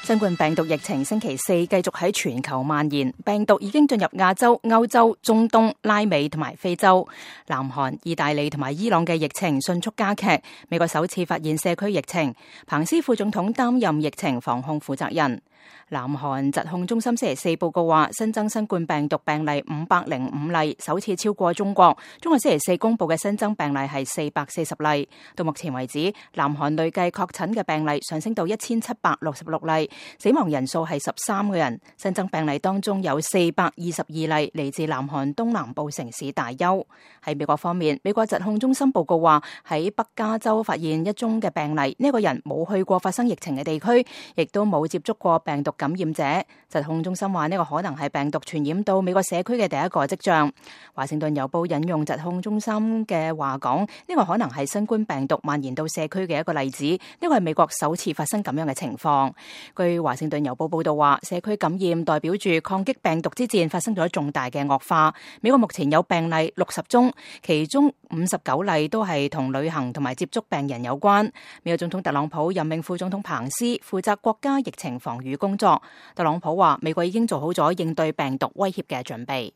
新冠病毒疫情星期四繼續喺全球蔓延，病毒已經進入亞洲、歐洲、中東、拉美同埋非洲。南韓、意大利同埋伊朗嘅疫情迅速加劇，美國首次發現社區疫情，彭斯副總統擔任疫情防控負責人。南韓疾控中心星期四報告話，新增新冠病毒病例505例，首次超過中國。中國星期四公布嘅新增病例係440例。到目前為止，南韓累計確診嘅病例上升到1766例，死亡人數係13個人。新增病例當中有422例嚟自南韓東南部城市大邱。喺美國方面，美國疾控中心報告話，喺北加州發現一宗嘅病例，呢個人冇去過發生疫情嘅地區，亦都冇接觸過病毒感染者。疾控中心話呢個可能係病毒傳染到美國社區嘅第一個跡象。華盛頓郵報引用疾控中心嘅話講，呢個可能係新冠病毒蔓延到社區嘅一個例子。呢個係美國首次發生咁樣嘅情況。據華盛頓郵報報道話，社區感染代表住抗擊病毒之戰發生咗重大嘅惡化。美國目前有病例60宗，其中59例都係同旅行同埋接觸病人有關。美國總統特朗普任命副總統彭斯負責國家疫情防禦工作。特朗普話，美國已經做好咗應對病毒威脅嘅準備。